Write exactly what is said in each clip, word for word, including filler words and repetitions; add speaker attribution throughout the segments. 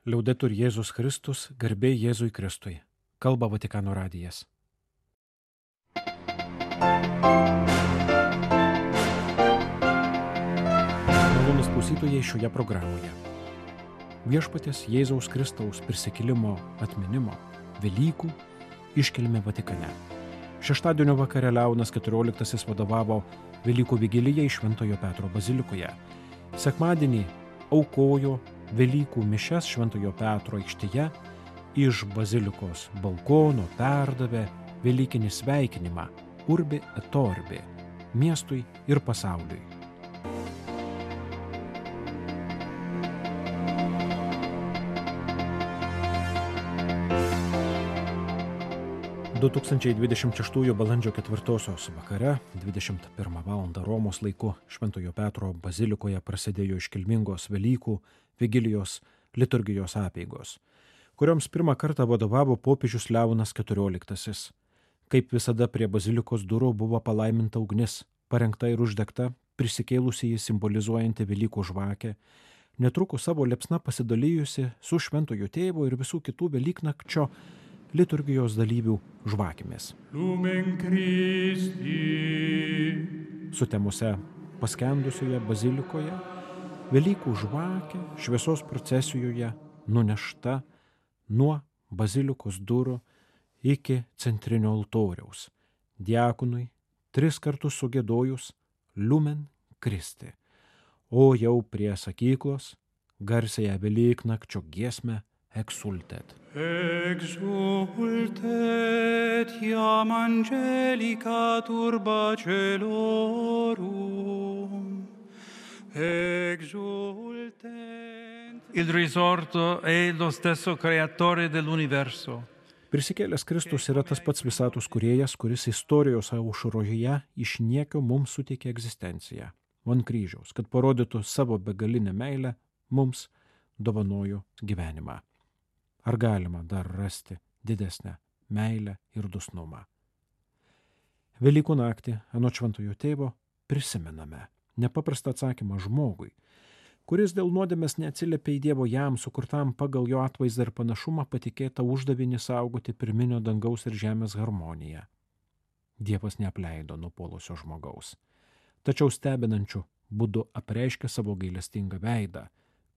Speaker 1: Liaudetur Jėzus Kristus, garbė Jėzui Kristui. Kalba Vatikano radijas. Malonūs klausytojai šioje programoje. Viešpaties Jėzaus Kristaus prisikėlimo atminimo Velykų iškilmė Vatikane. Šeštadienio vakare Leonas keturioliktasis vadovavo Velykų vigilijai Šventojo Petro bazilikoje. Sekmadienį aukojo Velykų mišias Šventojo Petro aikštėje, iš bazilikos balkono perdavė velykinį sveikinimą Urbi et Orbi miestui ir pasauliui. du tūkstančiai dvidešimt šeštųjų balandžio ketvirtosios vakare, dvidešimt pirmą valandą Romos laiku, Šventojo Petro bazilikoje prasidėjo iškilmingos Velykų vigilijos liturgijos apeigos, kurioms pirmą kartą vadovavo popiežius Leonas keturioliktasis. Kaip visada prie bazilikos durų buvo palaiminta ugnis, parengta ir uždegta, prisikėlusi jį simbolizuojanti Velykų žvakę, netrukus savo liepsna pasidalijusi su Šventojo Tėvo ir visų kitų Velyknakčio liturgijos dalyvių žvakėmis.
Speaker 2: Lumen Christi.
Speaker 1: Sutemose paskendusioje bazilikoje Velykų žvakė šviesos procesijoje nunešta nuo bazilikos durų iki centrinio altoriaus. Diakonui tris kartus sugiedojus Lumen Christi, o jau prie sakyklos garsiąją Velyknakčio giesmę Exultet.
Speaker 2: Exultet iam angelica turba celorum. Exultet.
Speaker 3: Il risorto è lo stesso creatore dell'universo.
Speaker 1: Prisikėlęs Kristus yra tas pats visatos kūrėjas, kuris istorijos aušroje iš niekio mums suteikė egzistenciją. Ant kryžiaus, kad parodytų savo begalinę meilę, mums dovanojo gyvenimą. Ar galima dar rasti didesnę meilę ir dosnumą? Velykų naktį, anot Šventojo Tėvo, prisimename nepaprastą atsakymą žmogui, kuris dėl nuodėmės neatsiliepė į Dievo jam sukurtam pagal jo atvaizdą ir panašumą patikėtą uždavinį saugoti pirminio dangaus ir žemės harmoniją. Dievas neapleido nupuolusio žmogaus, tačiau stebinančiu būdu apreiškė savo gailestingą veidą,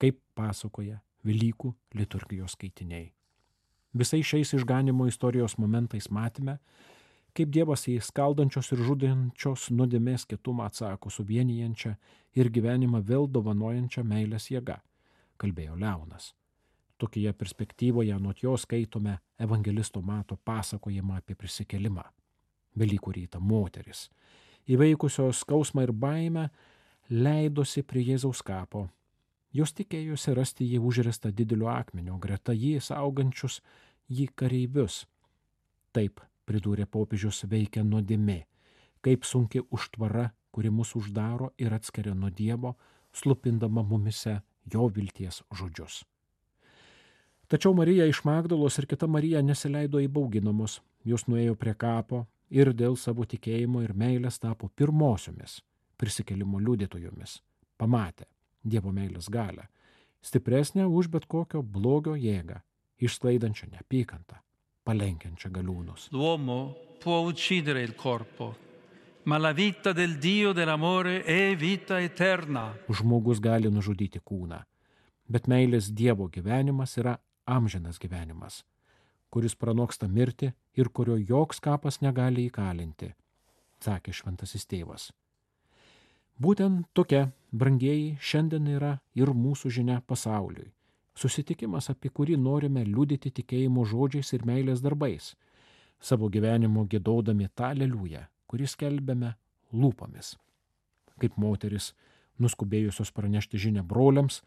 Speaker 1: kaip pasakoja Velykų liturgijos skaitiniai. Visais šiais išganimo istorijos momentais matėme, kaip Dievas į skaldančios ir žudančios nuodėmės kietumą atsako su vienijančia ir gyvenimą vėl dovanojančia meilės jėga, kalbėjo Leonas. Tokioje perspektyvoje anot jo skaitome evangelisto Mato pasakojimą apie prisikėlimą. Velykų rytą moteris, įveikusios skausmą ir baimę, leidosi prie Jėzaus kapo. Jos tikėjosi rasti jį užrestą dideliu akmeniu, greta jį saugančius jį kareivius. Taip, pridūrė popiežius, veikia nuodėmė, kaip sunki užtvara, kuri mus uždaro ir atskiria nuo Dievo, slupindama mumise jo vilties žodžius. Tačiau Marija iš Magdalos ir kita Marija nesileido įbauginamos, jos nuėjo prie kapo ir dėl savo tikėjimo ir meilės tapo pirmosiomis prisikėlimo liudytojomis. Pamatė Dievo meilės galią, stipresnę už bet kokio blogio jėgą, išsklaidančią neapykantą, palenkiančią galiūnus.
Speaker 3: L'uomo può uccidere il corpo, ma la vita del Dio dell'amore è vita eterna.
Speaker 1: Žmogus gali nužudyti kūną, bet meilės Dievo gyvenimas yra amžinas gyvenimas, kuris pranoksta mirtį ir kurio joks kapas negali įkalinti, sakė Šventasis Tėvas. Būtent tokia, brangieji, šiandien yra ir mūsų žinia pasauliui. Susitikimas, apie kurį norime liudyti tikėjimo žodžiais ir meilės darbais, savo gyvenimo giedodami tą aleliują, kurį skelbiame lūpomis. Kaip moteris, nuskubėjusios pranešti žinią broliams,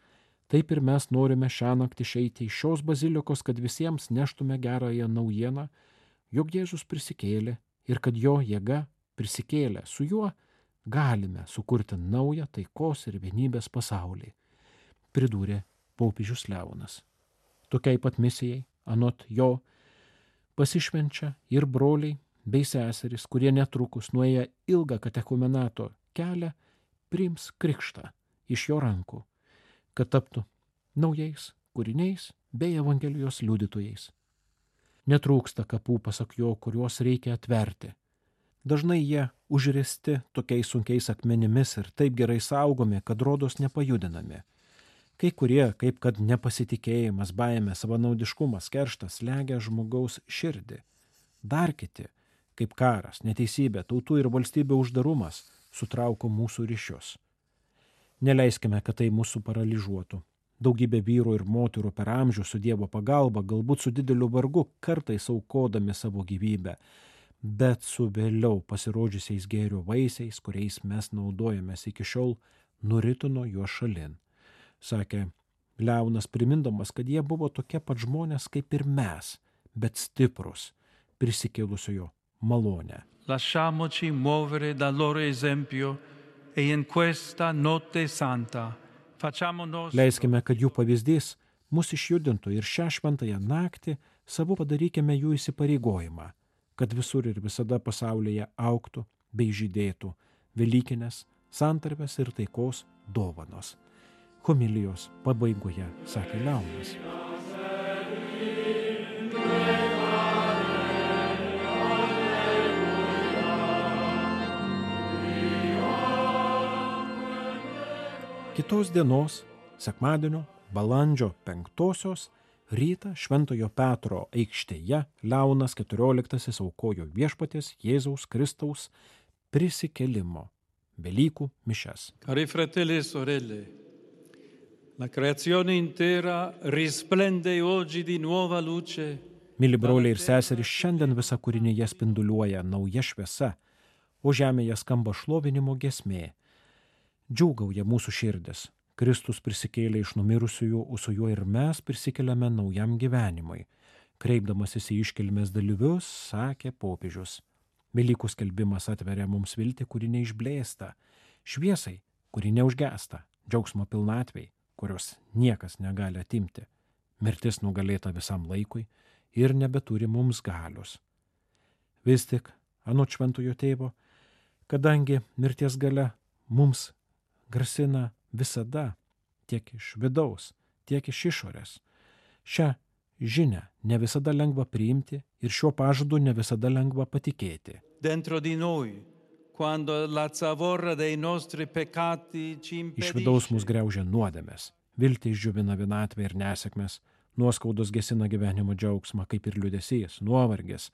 Speaker 1: taip ir mes norime šią naktį išeiti iš šios bazilikos, kad visiems neštume gerąją naujieną, jog Jėzus prisikėlė ir kad jo jėga prisikėlė su juo, galime sukurti naują taikos ir vienybės pasaulį, pridūrė popiežius Leonas. Tokiai pat misijai, anot jo, pasišvenčia ir broliai bei seserys, kurie netrukus nuėję ilgą katechumenato kelią, priims krikštą iš jo rankų, kad taptų naujais kūriniais bei Evangelijos liudytojais. Netrūksta kapų, pasak jo, kuriuos reikia atverti. Dažnai jie užristi tokiais sunkiais akmenimis ir taip gerai saugomi, kad rodos nepajudinami. Kai kurie, kaip kad nepasitikėjimas, baimė, savanaudiškumas, kerštas slegia žmogaus širdį. Dar kiti, kaip karas, neteisybė, tautų ir valstybių uždarumas, sutrauko mūsų ryšius. Neleiskime, kad tai mūsų paralyžuotų. Daugybė vyrų ir moterų per amžių su Dievo pagalba, galbūt su dideliu vargu, kartais aukodami savo gyvybę, bet su vėliau pasirodžiusiais gėrio vaisiais, kuriais mes naudojamės iki šiol, nuritino juos šalin. Sakė Leonas, primindamas, kad jie buvo tokie pat žmonės kaip ir mes, bet stiprus, prisikėlusiojo malonę.
Speaker 3: Lasciamoci muovere dal loro esempio e in questa notte santa facciamo nostro.
Speaker 1: Leiskime, kad jų pavyzdys mus išjudintų ir šią šventąją naktį savo padarykime jų įsipareigojimą, kad visur ir visada pasaulyje augtų bei žydėtų velykinės, santarvės ir taikos dovanos. Homilijos pabaigoje sakė Leonas. Kitos dienos, sekmadienio, balandžio penktosios, rytą Šventojo Petro aikštėje Leonas keturioliktasis aukojo Viešpaties Jėzaus Kristaus prisikėlimo Velykų mišias.
Speaker 3: Cari fratelli e sorelle, la creazione intera risplende oggi di nuova luce.
Speaker 1: Mili broliai ir seserys, šiandien visa kūrinyje spinduliuoja nauja šviesa, o žemėje skamba šlovinimo giesmė. Džiūgauja mūsų širdis. Kristus prisikėlė iš numirusiųjų, o su juo ir mes prisikeliame naujam gyvenimui. Kreipdamasis į iškilmės dalyvius, sakė popiežius. Velykų skelbimas atveria mums viltį, kuri neišblėsta, šviesai, kuri neužgesta, džiaugsmo pilnatvei, kurios niekas negali atimti. Mirtis nugalėta visam laikui ir nebeturi mums galios. Vis tik, anot šventojo tėvo, kadangi mirties galia mums grasina visada, tiek iš vidaus, tiek iš išorės. Šią žinią ne visada lengva priimti ir šiuo pažadu ne visada lengva patikėti.
Speaker 3: Dentro di noi, quando la zavorra dei nostri peccati ci impedisce.
Speaker 1: Iš vidaus mus griaužia nuodėmės, viltį išdžiovina vienatvė ir nesėkmės, nuoskaudos gesina gyvenimo džiaugsmą, kaip ir liūdesys, nuovargis,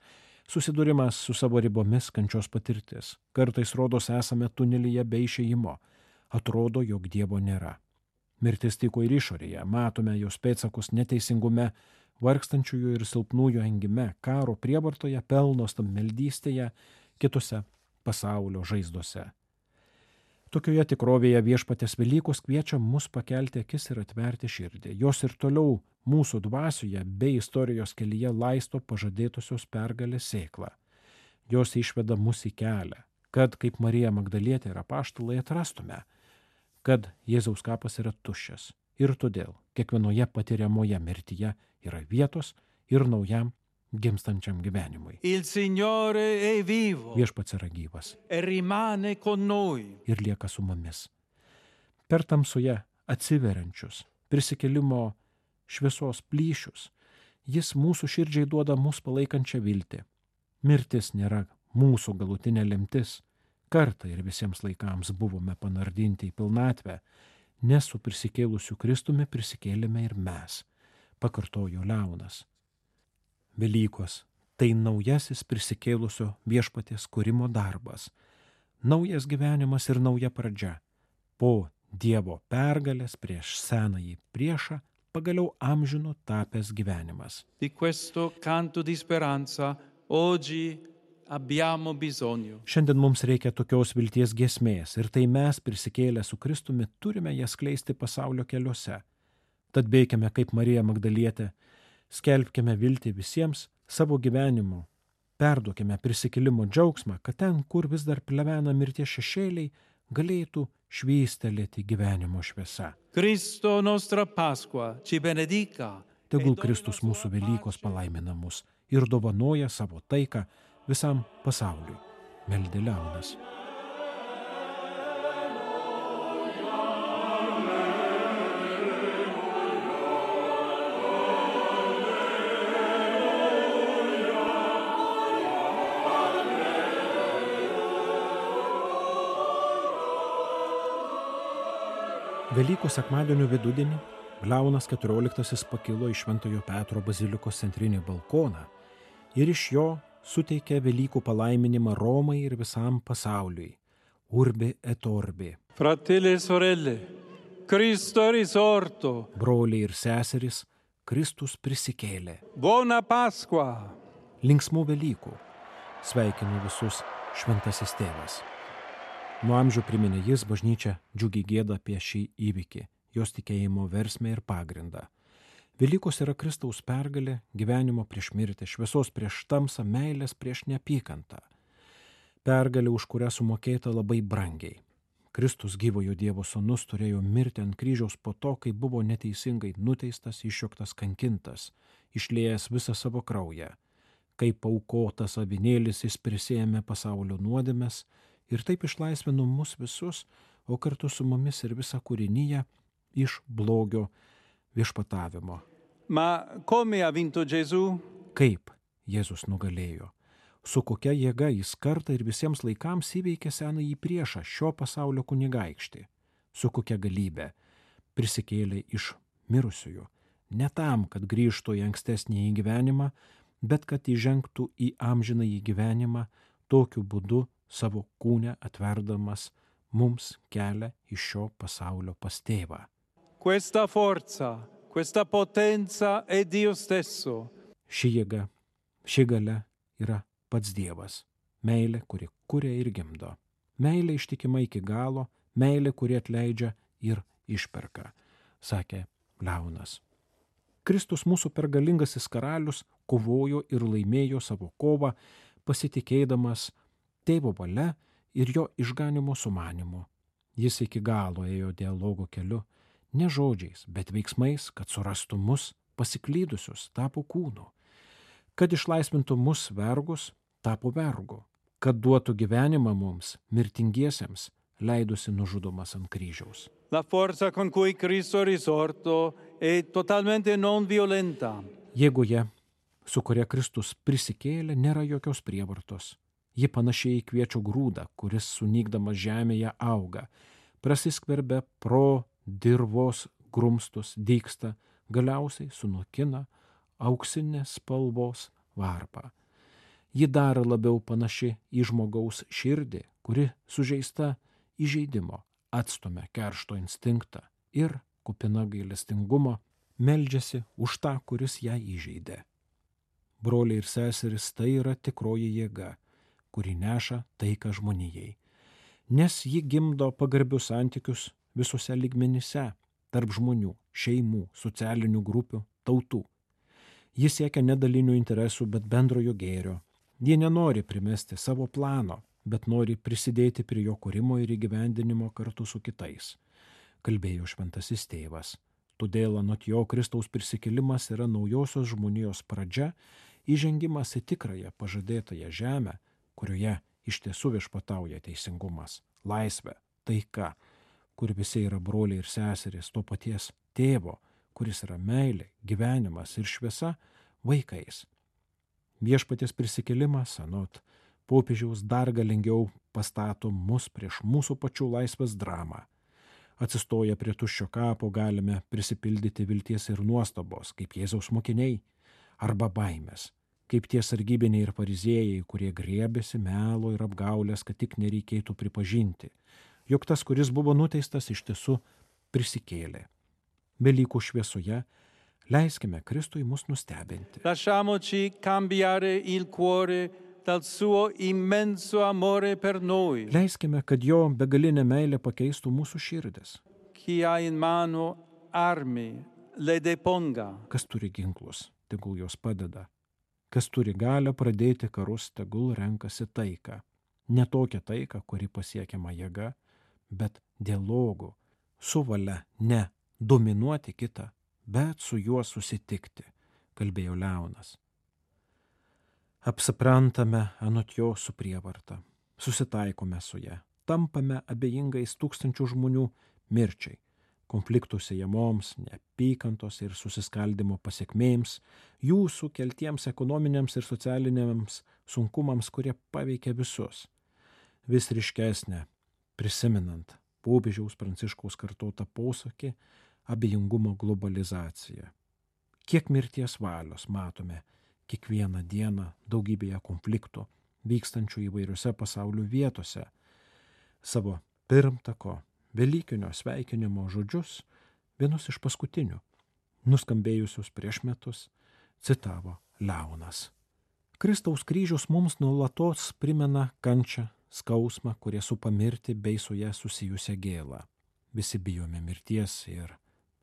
Speaker 1: susidūrimas su savo ribomis, kančios patirtis. Kartais rodos esame tunelyje be išėjimo. Atrodo, jog Dievo nėra. Mirtis tyko ir išorėje, matome jos pėdsakus neteisingume, vargstančiųjų ir silpnųjų engime, karo prievartoje, pelno stabmeldystėje, kitose pasaulio žaizdose. Tokioje tikrovėje Viešpaties Velykos kviečia mus pakelti akis ir atverti širdį. Jos ir toliau mūsų dvasioje bei istorijos kelyje laisto pažadėtosios pergalės sėklą. Jos išveda mus į kelią, kad, kaip Marija Magdalietė ir apaštalai, atrastume, kad Jėzaus kapas yra tuščias ir todėl kiekvienoje patiriamoje mirtyje yra vietos ir naujam gimstančiam gyvenimui.
Speaker 3: Il Signore è vivo.
Speaker 1: Viešpats yra gyvas
Speaker 3: E rimane con noi.
Speaker 1: ir lieka su mumis. Per tamsoje atsiveriančius prisikėlimo šviesos plyšius, jis mūsų širdžiai duoda mus palaikančią viltį. Mirtis nėra mūsų galutinė lemtis. Kartą ir visiems laikams buvome panardinti į pilnatvę, nes su prisikėlusiu Kristumi prisikėlėme ir mes, pakartojo Leonas. Velykos – tai naujasis prisikėlusio Viešpaties kūrimo darbas, naujas gyvenimas ir nauja pradžia. Po Dievo pergalės prieš senąjį priešą pagaliau amžino tapęs gyvenimas.
Speaker 3: Di questo canto di speranza oggi abbiamo bisogno.
Speaker 1: Šiandien mums reikia tokios vilties giesmės ir tai mes prisikėlę su Kristumi turime jas skleisti pasaulio keliuose. Tad veikime kaip Marija Magdalietė, skelbkime viltį visiems savo gyvenimu, perduokime prisikėlimo džiaugsmą, kad ten, kur vis dar plevena mirties šešėliai, galėtų švystelėti gyvenimo šviesa.
Speaker 3: Cristo nostra Pasqua ci benedica.
Speaker 1: Tegul Kristus mūsų Velykos palaimina mus ir dovanoja savo taiką visam pasauliui, meldė Leonas. Velykų sekmadienio vidudienį Leonas keturioliktasis pakilo į Šventojo Petro bazilikos centrinį balkoną ir iš jo suteikė Velykų palaiminimą Romai ir visam pasauliui. Urbi et orbi.
Speaker 3: Fratelli e sorelle, Cristo è risorto.
Speaker 1: Broliai ir seserys, Kristus prisikėlė.
Speaker 3: Buona Pasqua.
Speaker 1: Linksmų Velykų. Sveikinu visus šventasis tėvas. Nuo amžių priminė jis, bažnyčia džiugiai gėda apie šį įvykį, jos tikėjimo versmę ir pagrindą. Velykos yra Kristaus pergalė, gyvenimo prieš mirtį, šviesos prieš tamsą, meilės prieš neapykantą. Pergalė, už kurią sumokėta labai brangiai. Kristus, gyvojo Dievo sūnus, turėjo mirti ant kryžiaus po to, kai buvo neteisingai nuteistas, išjuoktas, kankintas, išliejęs visą savo kraują. Kaip aukotas avinėlis jis prisėmė pasaulio nuodėmes ir taip išlaisvino mus visus, o kartu su mumis ir visą kūriniją iš blogio viešpatavimo.
Speaker 3: Ma come ha vinto Gesù?
Speaker 1: Kaip Jėzus nugalėjo? Su kokia jėga jis kartą ir visiems laikams įveikė senąjį priešą, šio pasaulio kunigaikštį? Su kokia galybė prisikėlė iš mirusiųjų? Ne tam, kad grįžtų į ankstesnį gyvenimą, bet kad įžengtų į amžinąjį gyvenimą, tokiu būdu savo kūne atverdamas mums kelią iš šio pasaulio pas tėvą.
Speaker 3: Questa forza, questa potenza è Dio stesso.
Speaker 1: Ši jėga, ši galia yra pats Dievas. Meilė, kuri kuria ir gimdo. Meilė ištikima iki galo, meilė, kuri atleidžia ir išperka, sakė Leonas. Kristus, mūsų pergalingasis karalius, kovojo ir laimėjo savo kovą, pasitikėdamas Tėvo valia ir jo išganimo sumanymu. Jis iki galo ėjo dialogo keliu, ne žodžiais, bet veiksmais, kad surastų mus pasiklydusius, tapo kūnu. Kad išlaisvintų mus vergus, tapo vergu. Kad duotų gyvenimą mums, mirtingiesiems, leidusi nužudomas ant kryžiaus.
Speaker 3: La forza con cui Cristo è risorto è totalmente non violenta.
Speaker 1: Jėgoje, su kuria Kristus prisikėlė, nėra jokios prievartos. Ji panašiai į kviečio grūdą, kuris sunykdamas žemėje auga, prasiskverbia pro dirvos grumstus, dygsta, galiausiai sunokina auksinės spalvos varpą. Ji dar labiau panaši į žmogaus širdį, kuri sužeista įžeidimo, atstumia keršto instinktą ir, kupina gailestingumo, meldžiasi už tą, kuris ją įžeidė. Broliai ir seserys, tai yra tikroji jėga, kuri neša taiką žmonijai, nes ji gimdo pagarbius santykius visose lygmenyse, tarp žmonių, šeimų, socialinių grupių, tautų. Ji siekia ne dalinių interesų, bet bendrojo gėrio. Ji nenori primesti savo plano, bet nori prisidėti prie jo kūrimo ir įgyvendinimo kartu su kitais, kalbėjo šventasis tėvas. Todėl anot jo Kristaus prisikėlimas yra naujosios žmonijos pradžia, įžengimas į tikrąją pažadėtąją žemę, kurioje iš tiesų viešpatauja teisingumas, laisvė, taika, kur visi yra broliai ir seserys to paties tėvo, kuris yra meilė, gyvenimas ir šviesa, vaikais. Viešpaties prisikėlimas, anot popiežiaus, dar galingiau pastato mus prieš mūsų pačių laisvės dramą. Atsistoję prie tuščio kapo galime prisipildyti vilties ir nuostabos, kaip Jėzaus mokiniai, arba baimės, kaip tie sargybiniai ir fariziejai, kurie griebėsi melo ir apgaulės, kad tik nereikėtų pripažinti, jog tas, kuris buvo nuteistas, iš tiesų prisikėlė. Velykų šviesoje leiskime Kristui mus nustebinti.
Speaker 3: Lasciamoci cambiare il cuore dal suo immenso amore per noi.
Speaker 1: Leiskime, kad jo begalinė meilė pakeistų mūsų širdis.
Speaker 3: Chi ha in mano armi, le deponga.
Speaker 1: Kas turi ginklus, tegul jos padeda. Kas turi galią pradėti karus, tegul renkasi taiką. Ne tokią taiką, kuri pasiekiama jėga, bet dialogu, su valia ne dominuoti kitą, bet su juo susitikti, kalbėjo Leonas. Apsiprantame anot jo su prievarta, susitaikome su ja, tampame abejingais tūkstančių žmonių mirčiai, konfliktų sėjamoms, neapykantos ir susiskaldimo pasiekmėms, jų sukeltiems ekonominiams ir socialiniams sunkumams, kurie paveikia visus. Vis ryškesnė, prisiminant popiežiaus Pranciškaus kartotą posakį abejingumo globalizacija. Kiek mirties valios matome kiekvieną dieną daugybėje konfliktų vykstančių įvairiose pasaulio vietose. Savo pirmtako Velykinio sveikinimo žodžius, vienus iš paskutinių, nuskambėjusius prieš metus, citavo Leonas. Kristaus kryžius mums nuolatos primena kančią, skausmą, kurie supa mirtį bei su ją susijusią gėlą. Visi bijome mirties ir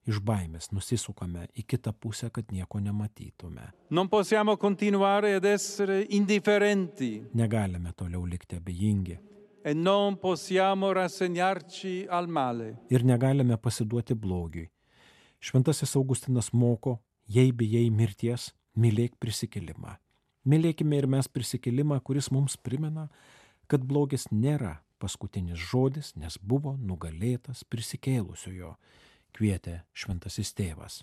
Speaker 1: iš baimės nusisukame į kitą pusę, kad nieko nematytume.
Speaker 3: Non possiamo continuare ad essere indifferenti.
Speaker 1: Negalime toliau likti abejingi.
Speaker 3: E non possiamo rassegnarci al male.
Speaker 1: Ir negalime pasiduoti blogiui. Šventasis Augustinas moko, jei bijai mirties, mylėk prisikėlimą. Mylėkime ir mes prisikėlimą, kuris mums primena, kad blogis nėra paskutinis žodis, nes buvo nugalėtas prisikėlusiojo, kvietė šventasis tėvas.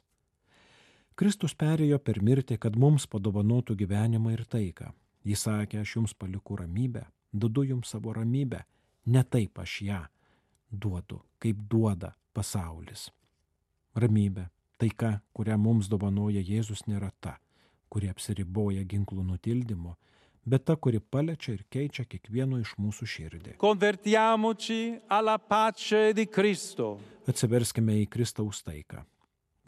Speaker 1: Kristus perėjo per mirtį, kad mums padovanotų gyvenimą ir taiką. Jis sakė, aš jums paliku ramybę, duodu jums savo ramybę, ne taip aš ją duodu, kaip duoda pasaulis. Ramybė, taika, kurią mums dovanoja Jėzus, nėra ta, kuri apsiriboja ginklų nutildymu, bet ta, kuri paliečia ir keičia kiekvieno iš mūsų širdį.
Speaker 3: Convertiamoci alla pace di Cristo.
Speaker 1: Atsiverskime į Kristaus taiką.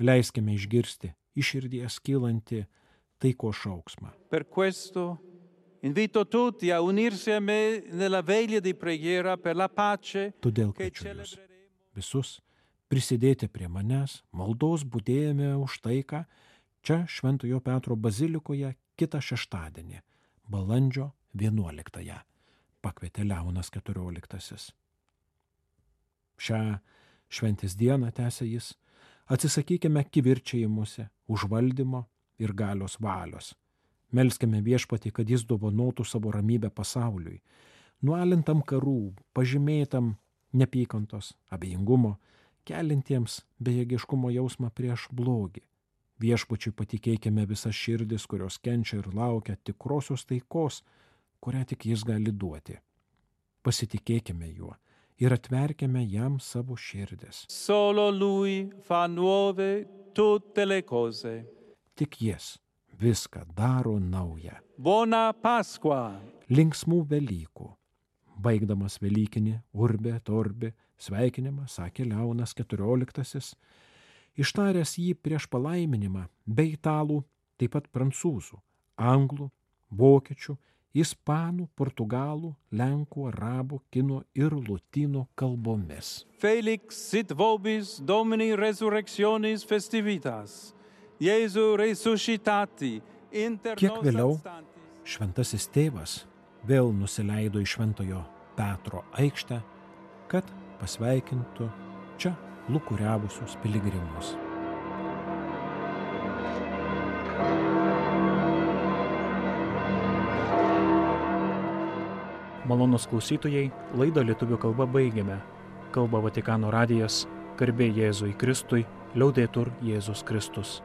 Speaker 1: Leiskime išgirsti iš širdies kylantį taiko šauksmą.
Speaker 3: Per questo invito tutti a unirsi a me nella veglia di preghiera per la pace.
Speaker 1: Todėl kviečiu jūs visus prisidėti prie manęs maldos budėjime už taiką čia Šventojo Petro bazilikoje kitą šeštadienį, balandžio vienuoliktąją, pakvietė Leonas keturioliktasis. Šią šventės dieną, tęsė jis, atsisakykime kivirčiajimuose, užvaldymo ir galios valios. Melskime Viešpatį, kad jis dovanotų savo ramybę pasauliui, nualintam karų, pažymėtam nepykantos, abejingumo, kelintiems bejėgiškumo jausmą prieš blogį. Viešpačiui patikėkime visas širdis, kurios kenčia ir laukia tikrosios taikos, kurią tik jis gali duoti. Pasitikėkime juo ir atverkime jam savo širdis.
Speaker 3: Solo lui fa nuove tutte le cose.
Speaker 1: Tik jis viską daro naują.
Speaker 3: Buona Pasqua.
Speaker 1: Linksmų Velykų. Baigdamas Velykinį Urbe Torbe sveikinimą, sakė Leonas keturioliktasis, ištaręs jį prieš palaiminimą be italų, taip pat prancūzų, anglų, vokiečių, ispanų, portugalų, lenkų, arabų, kinų ir lotynų kalbomis.
Speaker 3: Felix sit vobis Domini resurrectionis festivitas. Jėzu resuscitati inter nos
Speaker 1: Kiek vėliau
Speaker 3: abstantis.
Speaker 1: šventasis tėvas vėl nusileido į Šventojo Petro aikštę, kad pasveikintų čia lūkuriavusius piligrimus.
Speaker 4: Malonūs klausytojai, laidą lietuvių kalba baigiame. Kalba Vatikano radijas, garbė Jėzui Kristui, liaudetur Jėzus Kristus.